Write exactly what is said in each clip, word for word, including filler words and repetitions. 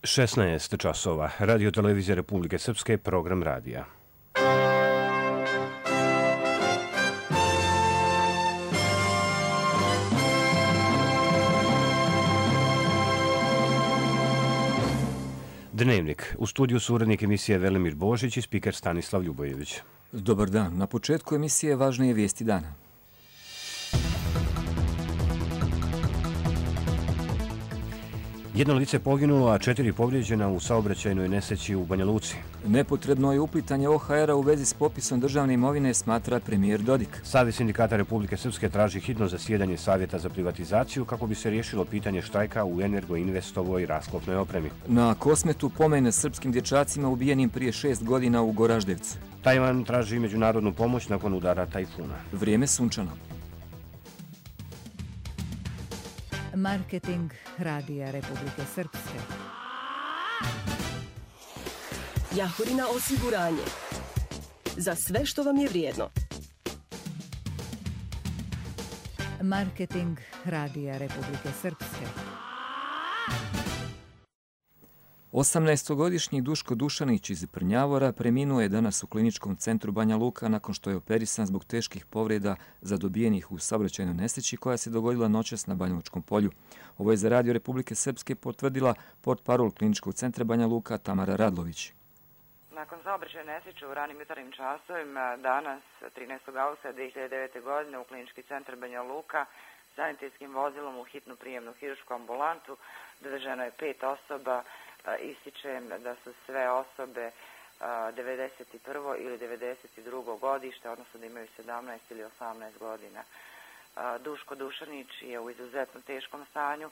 šesnaest časova. Radio televizija Republike Srpske, program radija. Dnevnik. U studiju su urednik emisije Velimir Božić i spiker Stanislav Ljubojević. Dobar dan. Na početku emisije važnije vijesti dana. Jedno lice poginulo, a četiri povrijeđena u saobraćajnoj nesreći u Banja Luci. Nepotrebno je uplitanje O H R-a u vezi s popisom državne imovine, smatra premijer Dodik. Savez sindikata Republike Srpske traži hitno zasjedanje Savjeta za privatizaciju kako bi se riješilo pitanje štrajka u Energoinvestovoj rasklopnoj opremi. Na Kosmetu pomen srpskim dječacima ubijenim prije šest godina u Goraždevcu. Tajvan traži međunarodnu pomoć nakon udara tajfuna. Vrijeme sunčano. Marketing Radija Republike Srpske. Jahorina osiguranje. Za sve što vam je vrijedno. Marketing Radija Republike Srpske. osamnaestogodišnji Duško Dušanić iz Prnjavora preminuo je danas u kliničkom centru Banja Luka nakon što je operisan zbog teških povreda zadobijenih u saobraćajnoj nesreći koja se dogodila noćas na Banjalučkom polju. Ovo je za Radio Republike Srpske potvrdila portparol kliničkog centra Banja Luka Tamara Radlović. Nakon saobraćajne nesreće u ranim jutarnjim časovima danas trinaestog avgusta dve hiljade devete. godine u klinički centar Banja Luka sanitetskim vozilom u hitnu prijemnu hirušku ambulantu doveženo je pet osoba. Ističem da su sve osobe devedeset prvo ili devedeset drugo godište, odnosno da imaju sedamnaest ili osamnaest godina. Duško Dušanić je u izuzetno teškom stanju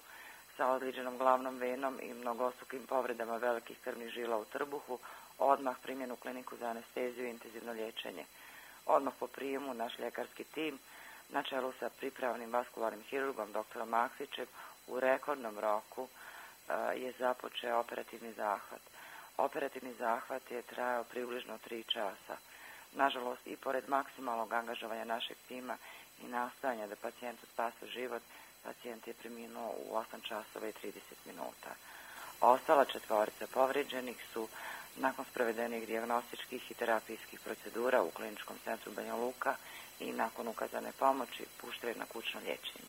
sa odliđenom glavnom venom i mnogostrukim povredama velikih krvnih žila u trbuhu, odmah primjen u kliniku za anesteziju i intenzivno liječenje. Odmah po prijemu naš ljekarski tim na čelu sa pripravnim vaskularnim hirurgom doktorom Maksićem u rekordnom roku je započeo operativni zahvat. Operativni zahvat je trajao približno tri časa. Nažalost, i pored maksimalnog angažovanja našeg tima i nastojanja da pacijentu spase život, pacijent je preminuo u osam časova i trideset minuta. Ostala četvorica povrijeđenih su nakon sprovedenih dijagnostičkih i terapijskih procedura u kliničkom centru Banja Luka i nakon ukazane pomoći pušteni na kućno liječenje.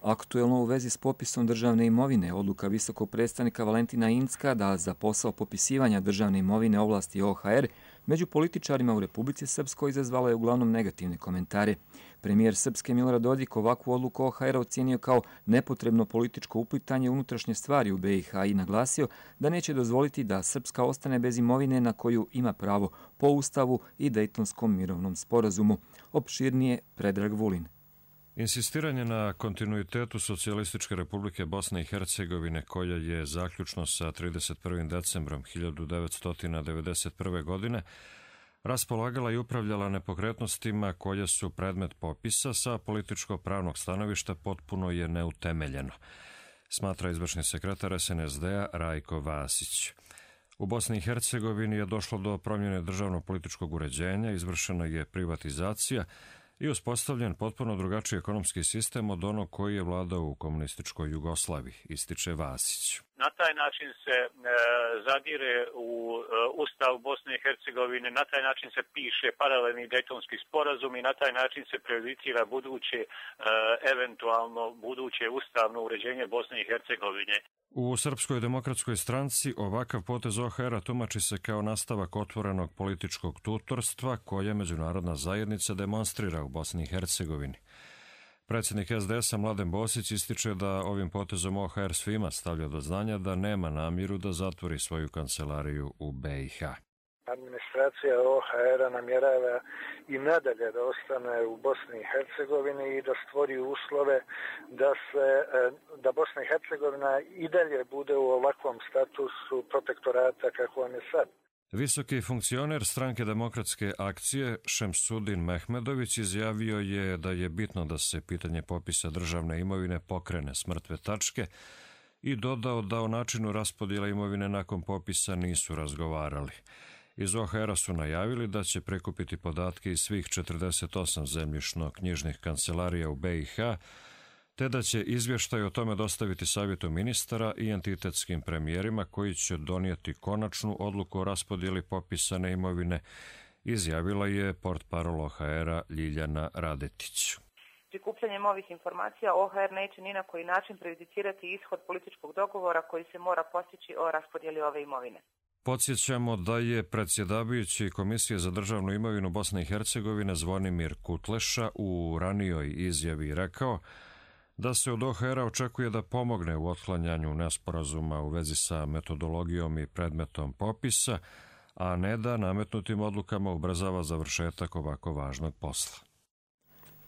Aktuelno u vezi s popisom državne imovine, odluka visokog predstavnika Valentina Incka da za posao popisivanja državne imovine ovlasti O H R među političarima u Republici Srpskoj izazvala je uglavnom negativne komentare. Premijer Srpske Milorad Dodik ovakvu odluku O H R ocijenio kao nepotrebno političko uplitanje unutrašnje stvari u B i H i naglasio da neće dozvoliti da Srpska ostane bez imovine na koju ima pravo po Ustavu i Dejtonskom mirovnom sporazumu. Opširnije Predrag Vulin. Insistiranje na kontinuitetu Socijalističke Republike Bosne i Hercegovine, koja je zaključno sa trideset prvim decembrom hiljadu devetsto devedeset prve. godine raspolagala i upravljala nepokretnostima koje su predmet popisa, sa političko-pravnog stanovišta potpuno je neutemeljeno, smatra izvršni sekretar S N S D-a Rajko Vasić. U Bosni i Hercegovini je došlo do promjene državnog političkog uređenja, izvršena je privatizacija i uspostavljen potpuno drugačiji ekonomski sistem od onog koji je vladao u komunističkoj Jugoslaviji, ističe Vasić. Na taj način se e, zadire u e, Ustav Bosne i Hercegovine, na taj način se piše paralelni Dejtonski sporazum i na taj način se prejudicira buduće, e, eventualno buduće ustavno uređenje Bosne i Hercegovine. U Srpskoj demokratskoj stranci ovakav potez O H R-a tumači se kao nastavak otvorenog političkog tutorstva koje međunarodna zajednica demonstrira u Bosni i Hercegovini. Predsjednik S D S-a Mladen Bosić ističe da ovim potezom O H R svima stavlja do znanja da nema namjeru da zatvori svoju kancelariju u B i H. Administracija O H R-a namjerava i nadalje da ostane u Bosni i Hercegovini i da stvori uslove da se da Bosna i Hercegovina i dalje bude u ovakvom statusu protektorata kako on je sad. Visoki funkcioner Stranke demokratske akcije Šemsudin Mehmedović izjavio je da je bitno da se pitanje popisa državne imovine pokrene s mrtve tačke i dodao da o načinu raspodjela imovine nakon popisa nisu razgovarali. Iz O H R-a su najavili da će prikupiti podatke iz svih četrdeset osam zemljišno-knjižnih kancelarija u B i H, te da će izvještaj o tome dostaviti savjetu ministara i entitetskim premijerima koji će donijeti konačnu odluku o raspodjeli popisane imovine, izjavila je portparol O H R-a Ljiljana Radetić. Prikupljanjem ovih informacija O H R neće ni na koji način prejudicirati ishod političkog dogovora koji se mora postići o raspodjeli ove imovine. Podsjećamo da je predsjedavajući Komisije za državnu imovinu Bosne i Hercegovine Zvonimir Kutleša u ranijoj izjavi rekao da se od O H R-a očekuje da pomogne u otklanjanju nesporazuma u vezi sa metodologijom i predmetom popisa, a ne da nametnutim odlukama ubrzava završetak ovako važnog posla.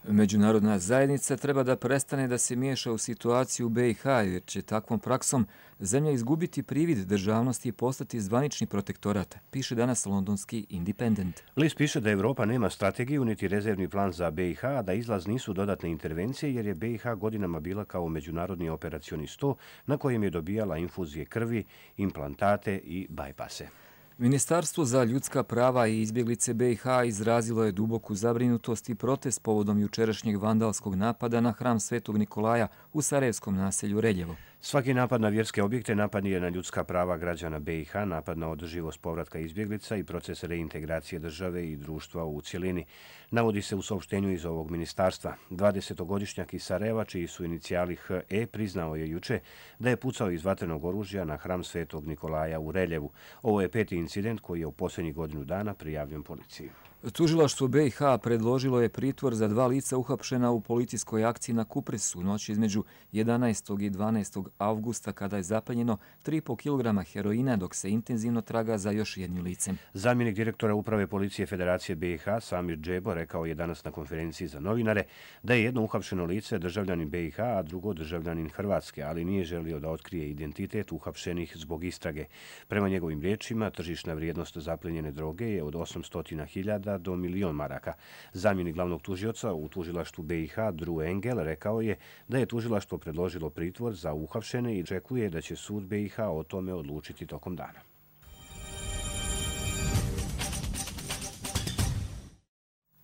Međunarodna zajednica treba da prestane da se miješa u situaciju u B i H, jer će takvom praksom zemlja izgubiti privid državnosti i postati zvanični protektorat, piše danas londonski Independent. List piše da Evropa nema strategiju niti rezervni plan za B i H, a da izlaz nisu dodatne intervencije, jer je B i H godinama bila kao međunarodni operacioni sto na kojem je dobijala infuzije krvi, implantate i bajpase. Ministarstvo za ljudska prava i izbjeglice B i H izrazilo je duboku zabrinutost i protest povodom jučerašnjeg vandalskog napada na hram Svetog Nikolaja u sarajevskom naselju Reljevo. Svaki napad na vjerske objekte napad je na ljudska prava građana B i H, napad na održivost povratka izbjeglica i proces reintegracije države i društva u cjelini. Navodi se u saopštenju iz ovog ministarstva. dvadesetogodišnjak iz Sarajeva, čiji su inicijali H E, priznao je juče da je pucao iz vatrenog oružja na hram Svetog Nikolaja u Reljevu. Ovo je peti incident koji je u posljednjih godinu dana prijavljen policiji. Tužilaštvo B i H predložilo je pritvor za dva lica uhapšena u policijskoj akciji na Kupresu noć između jedanaestog i dvanaestog avgusta, kada je zapaljeneno tri i po kilograma heroina, dok se intenzivno traga za još jednim licem. Zamjenik direktora Uprave policije Federacije B i H Samir Džebo rekao je danas na konferenciji za novinare da je jedno uhapšeno lice državljanin B i H, a drugo državljanin Hrvatske, ali nije želio da otkrije identitet uhapšenih zbog istrage. Prema njegovim riječima, tržišna vrijednost zapljenjene droge je od osamsto hiljada do milion maraka. Zamjenik glavnog tužioca u tužilaštvu B i H Drew Engel rekao je da je tužilaštvo predložilo pritvor za uhapšene i očekuje da će sud B i H o tome odlučiti tokom dana.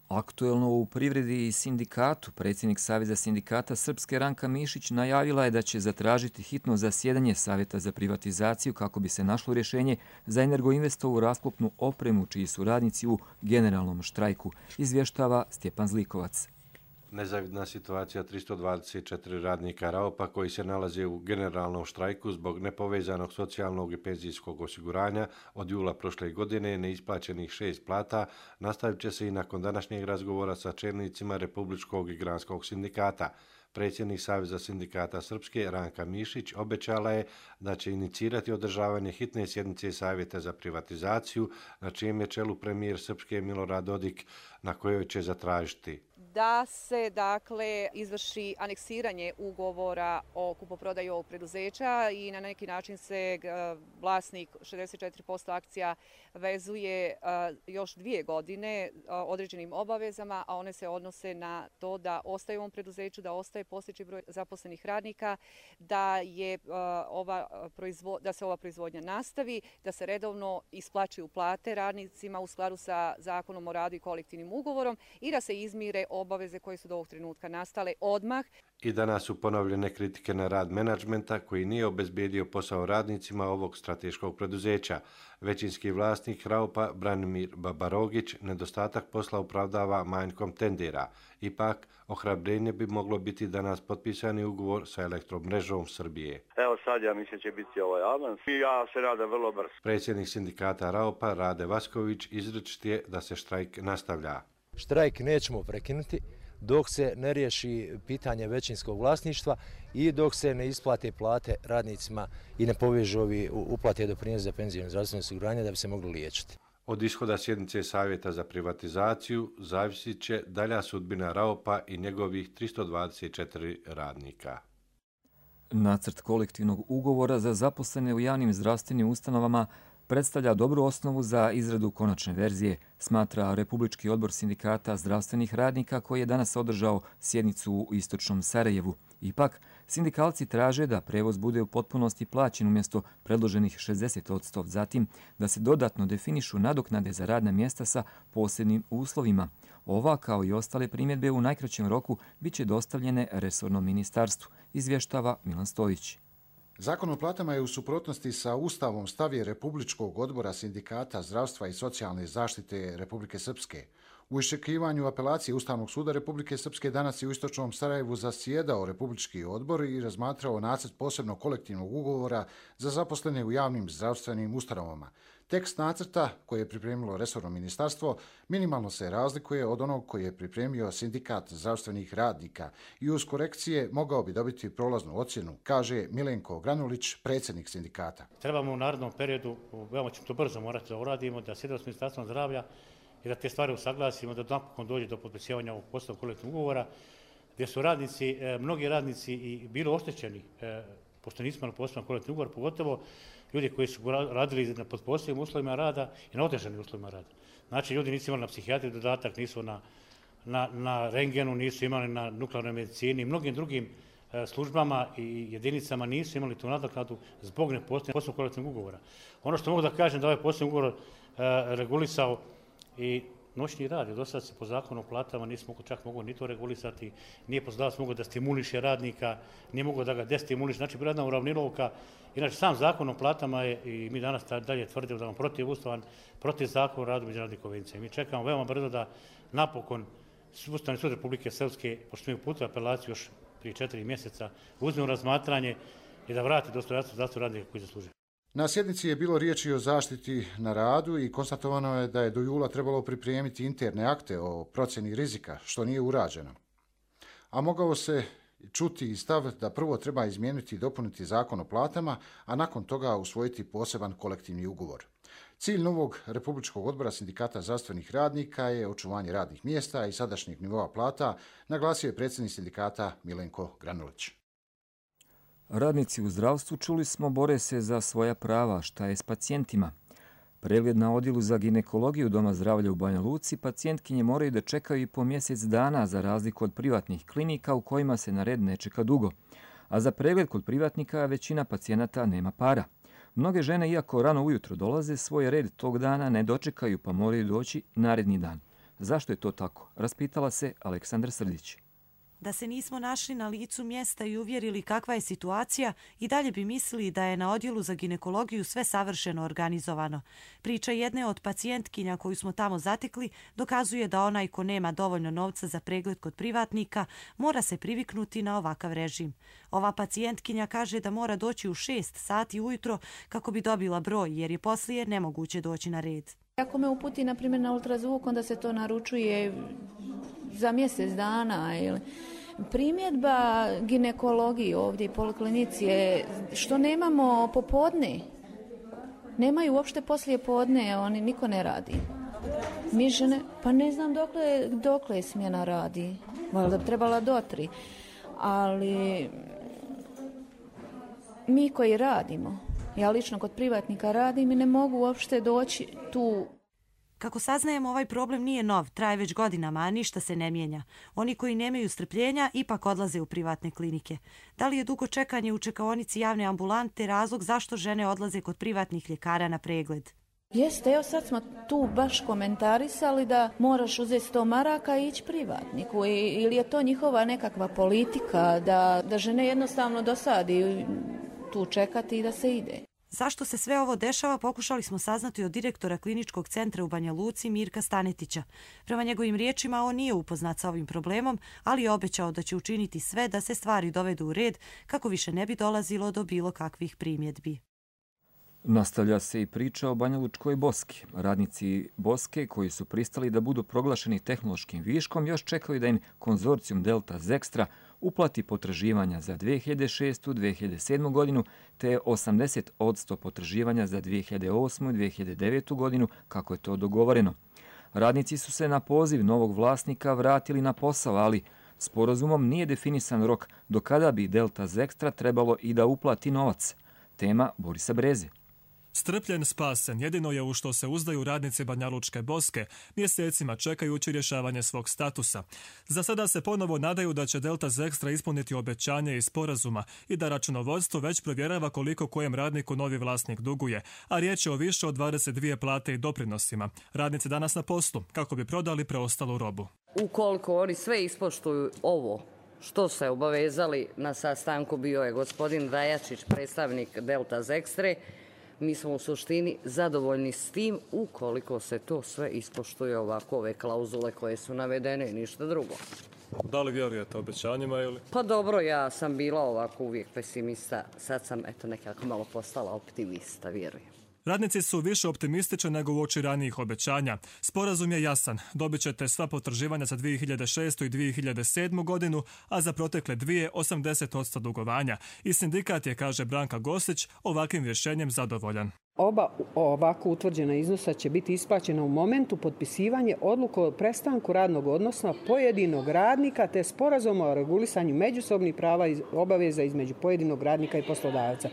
Aktuelno u privredi i sindikatu, predsjednik Saveza sindikata Srpske Ranka Mišić najavila je da će zatražiti hitno zasjedanje Savjeta za privatizaciju kako bi se našlo rješenje za Energoinvestovu rasklopnu opremu, čiji su radnici u generalnom štrajku, izvještava Stjepan Zlikovac. Nezavidna situacija tristo dvadeset četiri radnika Raopa koji se nalaze u generalnom štrajku zbog nepovezanog socijalnog i penzijskog osiguranja od jula prošle godine neisplaćenih šest plata nastavit će se i nakon današnjeg razgovora sa čelnicima Republičkog i Granskog sindikata. Predsjednik Saveza sindikata Srpske Ranka Mišić obećala je da će inicirati održavanje hitne sjednice Savjeta za privatizaciju, na čijem je čelu premijer Srpske Milorad Dodik, na kojoj će zatražiti da se dakle izvrši aneksiranje ugovora o kupoprodaji ovog preduzeća i na neki način se vlasnik šezdeset četiri posto akcija vezuje još dvije godine određenim obavezama, a one se odnose na to da ostaje u ovom preduzeću, da ostaje postojeći broj zaposlenih radnika, da, je ova proizvo, da se ova proizvodnja nastavi, da se redovno isplaćuju plate radnicima u skladu sa Zakonom o radu i kolektivnim ugovorom i da se izmire obaveze koje su do ovog trenutka nastale odmah. I danas su ponovljene kritike na rad menadžmenta koji nije obezbijedio posao radnicima ovog strateškog preduzeća. Većinski vlasnik Raopa Branimir Babarogić nedostatak posla opravdava manjkom tendera. Ipak, ohrabrenje bi moglo biti danas potpisani ugovor sa Elektromrežom Srbije. Evo sad ja mislim će biti ovaj avans i ja se nadam vrlo brzo. Predsjednik sindikata Raopa Rade Vasković izričit je da se štrajk nastavlja. Štrajk nećemo prekinuti dok se ne riješi pitanje većinskog vlasništva i dok se ne isplate plate radnicima i ne povežu ovi uplate doprinosa za penzijsko i zdravstveno osiguranje da bi se mogli liječiti. Od ishoda sjednice Savjeta za privatizaciju zavisit će dalja sudbina Raopa i njegovih tristo dvadeset četiri radnika. Nacrt kolektivnog ugovora za zaposlene u javnim zdravstvenim ustanovama predstavlja dobru osnovu za izradu konačne verzije, smatra Republički odbor sindikata zdravstvenih radnika koji je danas održao sjednicu u istočnom Sarajevu. Ipak, sindikalci traže da prevoz bude u potpunosti plaćen umjesto predloženih šezdeset posto, zatim da se dodatno definišu nadoknade za radna mjesta sa posebnim uslovima. Ova, kao i ostale primjedbe, u najkraćem roku bit će dostavljene resornom ministarstvu, izvještava Milan Stojić. Zakon o platama je u suprotnosti sa Ustavom, stav je Republičkog odbora sindikata zdravstva i socijalne zaštite Republike Srpske. U iščekivanju apelacije Ustavnog suda Republike Srpske danas je u Istočnom Sarajevu zasjedao Republički odbor i razmatrao nacrt posebnog kolektivnog ugovora za zaposlene u javnim zdravstvenim ustanovama. Tekst nacrta, koji je pripremilo resorno ministarstvo, minimalno se razlikuje od onog koji je pripremio sindikat zdravstvenih radnika i uz korekcije mogao bi dobiti prolaznu ocjenu, kaže Milenko Granulić, predsjednik sindikata. Trebamo u narednom periodu, veoma ćemo to brzo morati da uradimo, da sjedemo s ministarstvom zdravlja i da te stvari usaglasimo, da napokon dođe do potpisivanja ovog poslovnog kolektivnog ugovora, gdje su radnici, mnogi radnici i bili oštećeni, pošto nismo na poslovnom kolektivnom ugovoru, pogotovo ljudi koji su radili pod posebnim uslovima rada i na otežanim uslovima rada. Znači, ljudi nisu imali na psihijatriju dodatak, nisu na, na, na rengenu, nisu imali na nuklearnoj medicini i mnogim drugim e, službama i jedinicama nisu imali tu nadoknadu zbog nepostojanja poslovnog kolektivnog ugovora. Ono što mogu da kažem da ovaj poslovni ugovor e, regulisao i noćni rad, do sada se po zakonu o platama nismo čak mogu ni to regulisati, nije poslodavac mogao da stimuliše radnika, nije mogao da ga destimuliše, znači bila jedna uravnilovka. Inače, sam zakon o platama je, i mi danas dalje tvrdimo da je on protivustavan, protiv zakona o radu međunarodnih konvencija. Mi čekamo veoma brzo da napokon Ustavni sud Republike Srpske, pošto mi uputili apelaciju još prije četiri mjeseca, uzme u razmatranje i da vrati dostojanstvo zdravstvenog radnika koji zaslužuje. Na sjednici je bilo riječi o zaštiti na radu i konstatovano je da je do jula trebalo pripremiti interne akte o procjeni rizika, što nije urađeno. A mogao se čuti i stav da prvo treba izmijeniti i dopuniti zakon o platama, a nakon toga usvojiti poseban kolektivni ugovor. Cilj novog Republičkog odbora sindikata zdravstvenih radnika je očuvanje radnih mjesta i sadašnjeg nivoa plata, naglasio je predsjednik sindikata Milenko Granulić. Radnici u zdravstvu, čuli smo, bore se za svoja prava. Šta je s pacijentima? Pregled na odjelu za ginekologiju Doma zdravlja u Banja Luci pacijentkinje moraju da čekaju i po mjesec dana, za razliku od privatnih klinika u kojima se na red ne čeka dugo. A za pregled kod privatnika većina pacijenata nema para. Mnoge žene, iako rano ujutro dolaze, svoj red tog dana ne dočekaju pa moraju doći naredni dan. Zašto je to tako? Raspitala se Aleksandar Srdić. Da se nismo našli na licu mjesta i uvjerili kakva je situacija, i dalje bi mislili da je na odjelu za ginekologiju sve savršeno organizovano. Priča jedne od pacijentkinja koju smo tamo zatekli dokazuje da onaj ko nema dovoljno novca za pregled kod privatnika mora se priviknuti na ovakav režim. Ova pacijentkinja kaže da mora doći u šest sati ujutro kako bi dobila broj, jer je poslije nemoguće doći na red. Ako me uputi, na primjer, na ultrazvuk, onda se to naručuje za mjesec dana. Ili primjedba ginekologiji ovdje i poliklinici je što nemamo popodne. Nemaju uopšte poslije podne, oni niko ne radi. Mi žene, pa ne znam dokle, dokle smjena radi. Valjda bi trebala do tri. Ali mi koji radimo, ja lično kod privatnika radim i ne mogu uopšte doći tu. Kako saznajemo, ovaj problem nije nov, traje već godinama, a ništa se ne mijenja. Oni koji nemaju strpljenja ipak odlaze u privatne klinike. Da li je dugo čekanje u čekaonici javne ambulante razlog zašto žene odlaze kod privatnih ljekara na pregled? Jeste, evo sad smo tu baš komentarisali da moraš uzeti sto maraka i ići privatniku. Ili je to njihova nekakva politika da, da žene jednostavno dosadi tu čekati i da se ide. Zašto se sve ovo dešava, pokušali smo saznati od direktora kliničkog centra u Banja Luci Mirka Stanetića. Prema njegovim riječima, on nije upoznat sa ovim problemom, ali je obećao da će učiniti sve da se stvari dovedu u red kako više ne bi dolazilo do bilo kakvih primjedbi. Nastavlja se i priča o Banjalučkoj Boski. Radnici Boske, koji su pristali da budu proglašeni tehnološkim viškom, još čekaju da im konzorcijum Delta Zextra uplati potraživanja za dve hiljade šestu i dve hiljade sedmu godinu te osamdeset posto potraživanja za dve hiljade osmu i dve hiljade devetu godinu, kako je to dogovoreno. Radnici su se na poziv novog vlasnika vratili na posao, ali sporazumom nije definisan rok do kada bi Delta Zextra trebalo i da uplati novac. Tema Borisa Breze. Strpljen, spasen, jedino je u što se uzdaju radnici Banjalučke Boske, mjesecima čekajući rješavanje svog statusa. Za sada se ponovo nadaju da će Delta Zekstra ispuniti obećanje i sporazuma i da računovodstvo već provjerava koliko kojem radniku novi vlasnik duguje, a riječ je o više od dvadeset dvije plate i doprinosima. Radnici danas na poslu, kako bi prodali preostalu robu. Ukoliko oni sve ispoštuju ovo što se obavezali na sastanku, bio je gospodin Dajačić, predstavnik Delta Zekstre, mi smo u suštini zadovoljni s tim ukoliko se to sve ispoštuje ovako ove klauzule koje su navedene i ništa drugo. Da li vjerujete obećanjima ili? Pa dobro, ja sam bila ovako uvijek pesimista, sad sam eto nekako malo postala optimista, vjerujem. Radnici su više optimistični nego uoči ranijih obećanja. Sporazum je jasan. Dobit ćete sva potraživanja za dvije hiljade šestu i dvije hiljade sedmu godinu, a za protekle dvije osamdeset posto dugovanja. I sindikat je, kaže Branka Gosić, ovakvim rješenjem zadovoljan. Oba ovako utvrđena iznosa će biti isplaćena u momentu potpisivanja odluke o prestanku radnog odnosa pojedinog radnika te sporazuma o regulisanju međusobnih prava i obaveza između pojedinog radnika i poslodavca.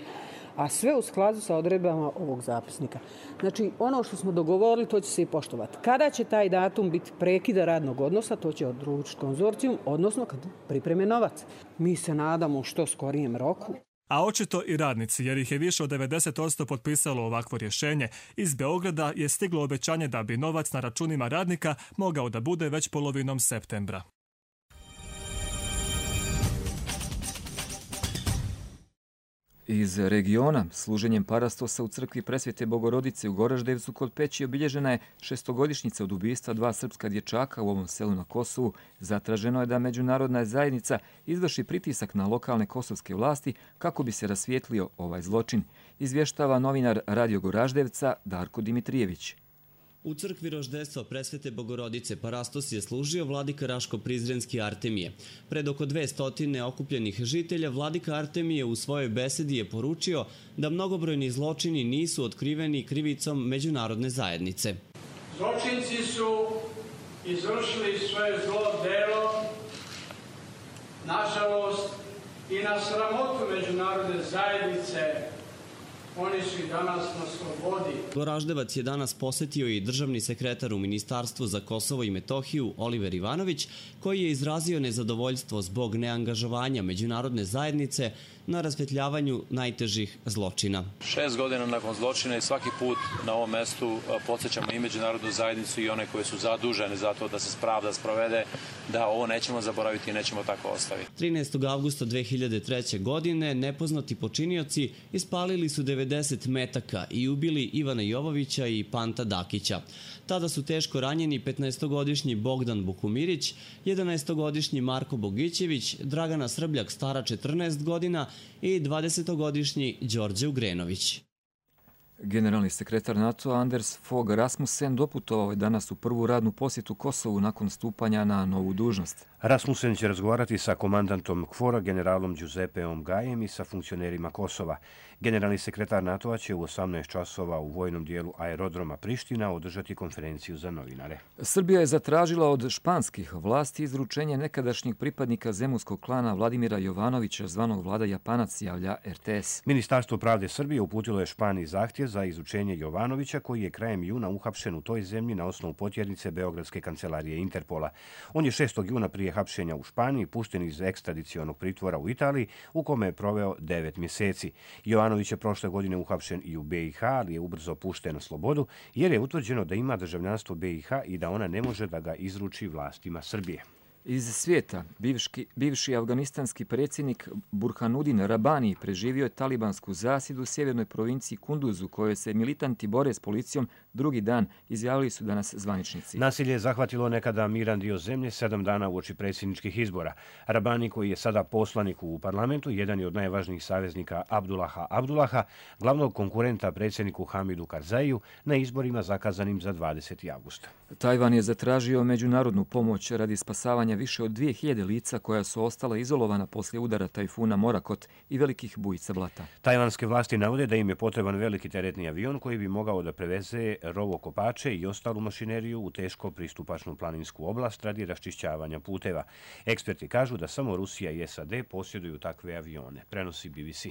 A sve u skladu sa odredbama ovog zapisnika. Znači, ono što smo dogovorili, to će se i poštovati. Kada će taj datum biti prekida radnog odnosa, to će odlučiti konzorcijum, odnosno kad pripreme novac. Mi se nadamo što skorijem roku. A očito i radnici, jer ih je više od devedeset posto potpisalo ovakvo rješenje. Iz Beograda je stiglo obećanje da bi novac na računima radnika mogao da bude već polovinom septembra. Iz regiona, služenjem parastosa u crkvi Presvete Bogorodice u Goraždevcu kod Peći obilježena je šestogodišnjica od ubistva dva srpska dječaka u ovom selu na Kosovu. Zatraženo je da međunarodna zajednica izvrši pritisak na lokalne kosovske vlasti kako bi se rasvijetlio ovaj zločin, izvještava novinar Radio Goraždevca Darko Dimitrijević. U crkvi Roždestva Presvete Bogorodice parastos je služio vladika Raško-Prizrenski Artemije. Pred oko dve stotine okupljenih žitelja vladika Artemije u svojoj besedi je poručio da mnogobrojni zločini nisu otkriveni krivicom međunarodne zajednice. Zločinci su izvršili svoje zlo delo, nažalost, i na sramotu međunarodne zajednice. Oni su i danas na slobodi. Goraždevac je danas posjetio i državni sekretar u Ministarstvu za Kosovo i Metohiju Oliver Ivanović, koji je izrazio nezadovoljstvo zbog neangažovanja međunarodne zajednice na rasvjetljavanju najtežih zločina. Šest godina nakon zločina i svaki put na ovom mestu podsjećamo i međunarodnu zajednicu i one koje su zadužene za to da se pravda sprovede, da ovo nećemo zaboraviti i nećemo tako ostaviti. trinaestog avgusta dve hiljade treće. godine nepoznati počinioci ispalili su devedeset metaka i ubili Ivana Jovovića i Panta Dakića. Tada su teško ranjeni petnaestogodišnji Bogdan Bukumirić, jedanaestogodišnji Marko Bogićević, Dragana Srbljak stara četrnaest godina i dvadesetogodišnji Đorđe Ugrenović. Generalni sekretar NATO Anders Fogh Rasmussen doputovao je danas u prvu radnu posjetu Kosovu nakon stupanja na novu dužnost. Rasmussen će razgovarati sa komandantom KFOR-a, generalom Giuseppeom Gajem i sa funkcionerima Kosova. Generalni sekretar NATO-a će u osamnaest časova u vojnom dijelu aerodroma Priština održati konferenciju za novinare. Srbija je zatražila od španskih vlasti izručenje nekadašnjeg pripadnika zemunskog klana Vladimira Jovanovića, zvanog Vlada Japanac, javlja R T S. Ministarstvo pravde Srbije uputilo je Španiji zahtjev za izučenje Jovanovića, koji je krajem juna uhapšen u toj zemlji na osnovu potjernice Beogradske kancelarije Interpola. On je šestog juna prije hapšenja u Španiji pušten iz ekstradicionog pritvora u Italiji, u kome je proveo devet mjeseci. Jovanović je prošle godine uhapšen i u B i H, ali je ubrzo pušten na slobodu, jer je utvrđeno da ima državljanstvo B i H i da ona ne može da ga izruči vlastima Srbije. Iz svijeta, bivški, bivši afganistanski predsjednik Burhanudin Rabani preživio je talibansku zasjedu u sjevernoj provinciji Kunduzu, kojoj se militanti bore s policijom drugi dan, izjavili su danas zvaničnici. Nasilje je zahvatilo nekada miran dio zemlje sedam dana uoči predsjedničkih izbora. Rabani, koji je sada poslanik u parlamentu, jedan je od najvažnijih saveznika Abdullaha Abdullaha, glavnog konkurenta predsjedniku Hamidu Karzaiju, na izborima zakazanim za dvadeseti avgust. Tajvan je zatražio međunarodnu pomoć radi spasavanja više od dvije hiljade lica koja su ostala izolovana poslije udara tajfuna Morakot i velikih bujica blata. Tajvanske vlasti navode da im je potreban veliki teretni avion koji bi mogao da preveze rovokopače i ostalu mašineriju u teško pristupačnu planinsku oblast radi raščišćavanja puteva. Eksperti kažu da samo Rusija i S A D posjeduju takve avione, prenosi B B C.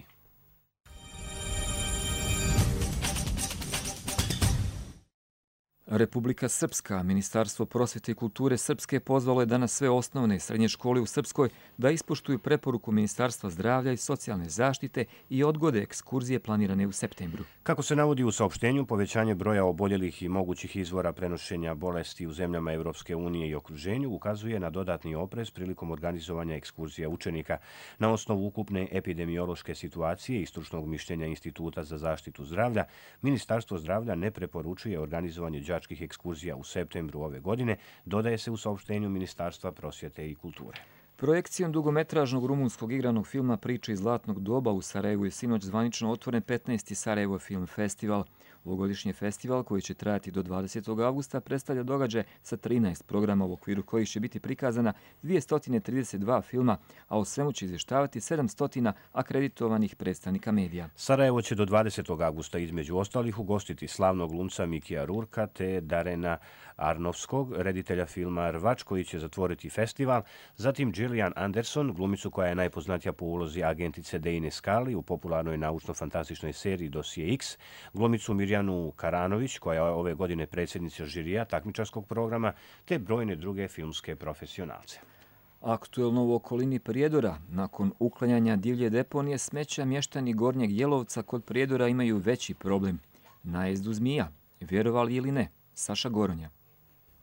Republika Srpska, Ministarstvo prosvjete i kulture Srpske pozvalo je danas sve osnovne i srednje škole u Srpskoj da ispoštuju preporuku Ministarstva zdravlja i socijalne zaštite i odgode ekskurzije planirane u septembru. Kako se navodi u saopštenju, povećanje broja oboljelih i mogućih izvora prenošenja bolesti u zemljama Evropske unije i okruženju ukazuje na dodatni oprez prilikom organizovanja ekskurzija učenika. Na osnovu ukupne epidemiološke situacije i stručnog mišljenja Instituta za zaštitu zdravlja, Ministarstvo zdravlja ne preporučuje organizovanje đačkih ekskurzija u septembru ove godine, dodaje se u saopštenju Ministarstva prosvjete i kulture. Projekcijom dugometražnog rumunskog igranog filma Priče iz zlatnog doba u Sarajevu je sinoć zvanično otvoren petnaesti Sarajevo Film Festival. Ovogodišnji festival, koji će trajati do dvadesetog avgusta, predstavlja događaj sa trinaest programa u okviru kojih će biti prikazana dvjesto trideset dva filma, a o svemu će izvještavati sedamsto akreditovanih predstavnika medija. Sarajevo će do dvadesetog avgusta između ostalih ugostiti slavnog glumca Mikija Rurka te Darena Arnovskog, reditelja filma Rvač, koji će zatvoriti festival, zatim Gillian Anderson, glumicu koja je najpoznatija po ulozi agentice Dejne Skali u popularnoj naučno-fantastičnoj seriji Dosije X, glumicu Mirjanu Karanović, koja je ove godine predsjednica žirija takmičarskog programa, te brojne druge filmske profesionalce. Aktuelno u okolini Prijedora, nakon uklanjanja divlje deponije smeća, mještani Gornjeg Jelovca kod Prijedora imaju veći problem. Najezdu zmija, vjerovali ili ne, Saša Goronja.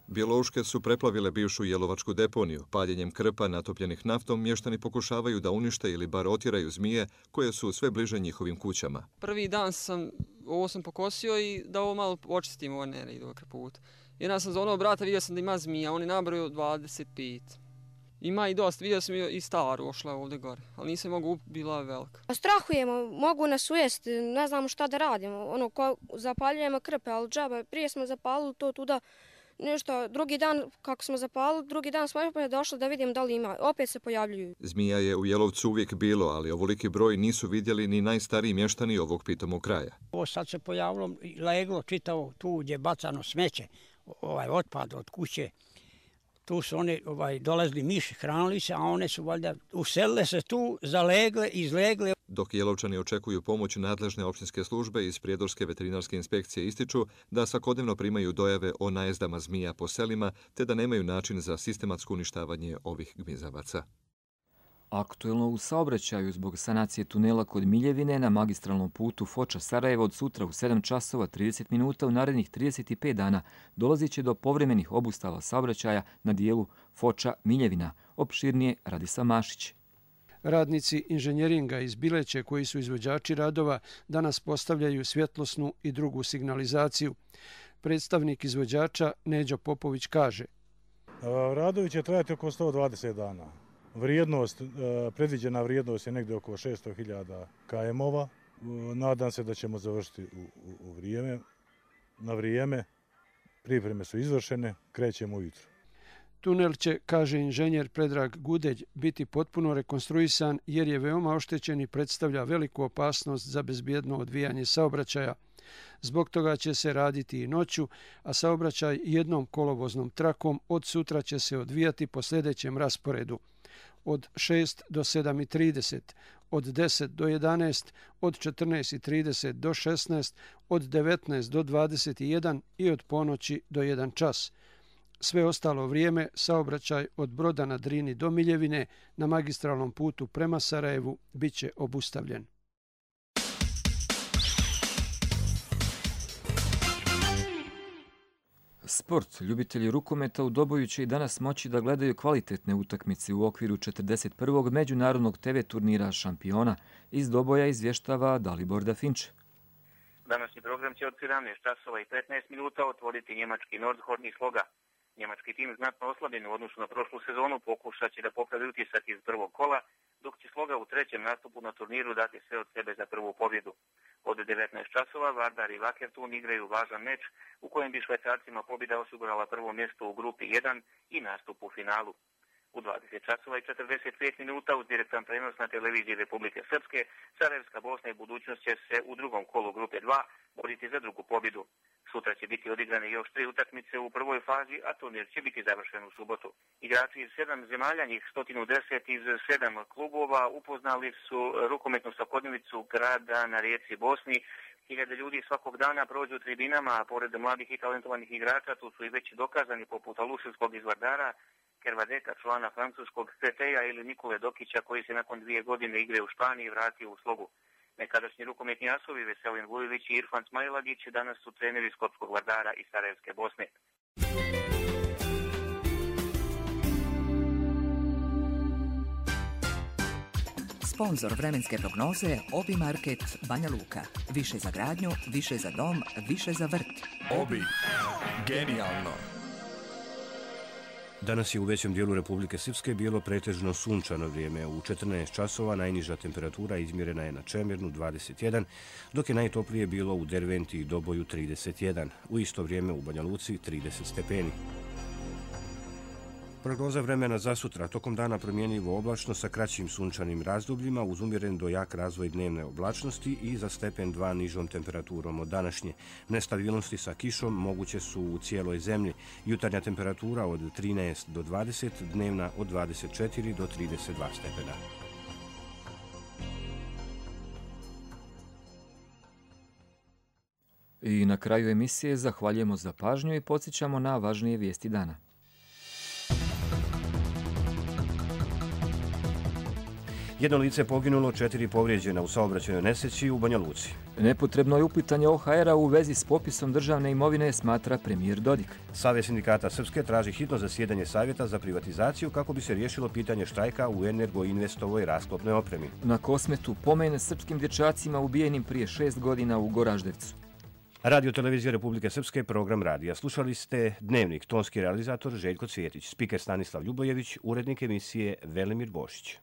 Bjelouške su preplavile bivšu jelovačku deponiju. Paljenjem krpa natopljenih naftom mještani pokušavaju da unište ili bar otjeraju zmije koje su sve bliže njihovim kućama. Prvi dan sam, ovo sam pokosio i da ovo malo očistim ovo nere i do krputa. Jedan sam za onog brata vidio sam da ima zmija, on je nabrojio dvadeset pet. Ima i dosta, vidio sam i staru ošla ovdje gore, ali nisam mogu, bila je velika. Strahujemo, mogu nas ujesti, ne znamo šta da radimo. Ono, ko zapaljujemo krpe, ali džaba, prije smo zapalili to tuda. Nešto, drugi dan, kako smo zapalili, drugi dan smo opet došli da vidimo da li ima. Opet se pojavljuju. Zmija je u Jelovcu uvijek bilo, ali ovoliki broj nisu vidjeli ni najstariji mještani ovog pitomog kraja. Ovo sad se pojavilo leglo čitavo tu gdje je bacano smeće, ovaj otpad od kuće. Tu su oni ovaj, dolazili miši, hranili se, a one su valjda uselile se tu, zalegle, izlegle. Dok Jelovčani očekuju pomoć nadležne općinske službe iz Prijedorske veterinarske inspekcije ističu da svakodnevno primaju dojave o najezdama zmija po selima, te da nemaju način za sistematsko uništavanje ovih gmizavaca. Aktuelno u saobraćaju zbog sanacije tunela kod Miljevine na magistralnom putu Foča-Sarajevo od sutra u sedam časova trideset minuta u narednih trideset pet dana dolazit će do povremenih obustava saobraćaja na dijelu Foča-Miljevina. Opširnije Radislav Mašić. Radnici inženjeringa iz Bileće, koji su izvođači radova, danas postavljaju svjetlosnu i drugu signalizaciju. Predstavnik izvođača Neđo Popović kaže: Radovi će trajati oko sto dvadeset dana. Vrijednost, predviđena vrijednost je negdje oko šesto hiljada km-ova. Nadam se da ćemo završiti u, u, u vrijeme. Na vrijeme pripreme su izvršene, krećemo ujutro. Tunel će, kaže inženjer Predrag Gudeć, biti potpuno rekonstruisan jer je veoma oštećen i predstavlja veliku opasnost za bezbjedno odvijanje saobraćaja. Zbog toga će se raditi i noću, a saobraćaj jednom kolovoznom trakom od sutra će se odvijati po sljedećem rasporedu. Od šest do sedam i trideset, od deset do jedanaest, od četrnaest i trideset do šesnaest, od devetnaest do dvadeset jedan i od ponoći do jedan čas. Sve ostalo vrijeme saobraćaj od Broda na Drini do Miljevine na magistralnom putu prema Sarajevu bit će obustavljen. Sport. Ljubitelji rukometa u Doboju će i danas moći da gledaju kvalitetne utakmice u okviru četrdeset prvog međunarodnog te ve turnira šampiona. Iz Doboja izvještava Dalibor Dafinč. Današnji program će od sedamnaest časova i petnaest minuta otvoriti njemački Nordhorn iz Sloga. Njemački tim znatno oslabljen u odnosu na prošlu sezonu pokušat će da popravi utisak iz prvog kola, dok će Sloga u trećem nastupu na turniru dati sve od sebe za prvu pobjedu. Od devetnaest časova Vardar i Vakertun igraju važan meč u kojem bi Švajcarcima pobjeda osigurala prvo mjesto u grupi jedan i nastup u finalu. U dvadeset časova i četrdeset pet minuta uz direktan prenos na televiziji Republike Srpske, Sarajevska Bosna i budućnost će se u drugom kolu grupe dva boriti za drugu pobjedu. Sutra će biti odigrane još tri utakmice u prvoj fazi, a turnir će biti završen u subotu. Igrači iz sedam zemalja, njih sto deset iz sedam klubova, upoznali su rukometnu svakodnevicu grada na rijeci Bosni, Hiljade ljudi svakog dana prođu tribinama, a pored mladih i talentovanih igrača tu su i već dokazani poput Aluševskog iz Vardara, Kervadeka, člana francuskog C T-a ili Nikole Dokića koji se nakon dvije godine igre u Španiji vratio u slogu. Nekadašnji rukometni asovi Veselin Vujović i Irfan Smajlagić danas su treneri Skopskog Vardara i Sarajevske Bosne. Sponzor vremenske prognoze Obi Market Banja Luka. Više za gradnju, više za dom, više za vrt. Obi. Genijalno. Danas je u većem dijelu Republike Srpske bilo pretežno sunčano vrijeme. U četrnaest časova najniža temperatura izmjerena je na Čemirnu dvadeset jedan, dok je najtoplije bilo u Derventi i Doboju trideset jedan. U isto vrijeme u Banja Luci trideset stepeni. Prognoza vremena za sutra. Tokom dana promjenjivo oblačno sa kraćim sunčanim razdobljima uz umjeren do jak razvoj dnevne oblačnosti i za stepen dva nižom temperaturom od današnje. Nestabilnosti sa kišom moguće su u cijeloj zemlji. Jutarnja temperatura od trinaest do dvadeset, dnevna od dvadeset četiri do trideset dva stepena. I na kraju emisije zahvaljujemo za pažnju i podsjećamo na važnije vijesti dana. Jedno lice poginulo, četiri povrijeđena u saobraćajnoj nesreći u Banja Luci. Nepotrebno je upitanje O H R-a u vezi s popisom državne imovine, smatra premijer Dodik. Savez sindikata Srpske traži hitno zasjedanje Savjeta za privatizaciju kako bi se riješilo pitanje štrajka u Energoinvestovoj rasklopnoj opremi. Na Kosmetu pomen srpskim dječacima ubijenim prije šest godina u Goraždevcu. Radio Televizija Republike Srpske, program radija. Slušali ste Dnevnik, tonski realizator Željko Cvjetić, spiker Stanislav Ljubojević, urednik emisije Velimir Bošić.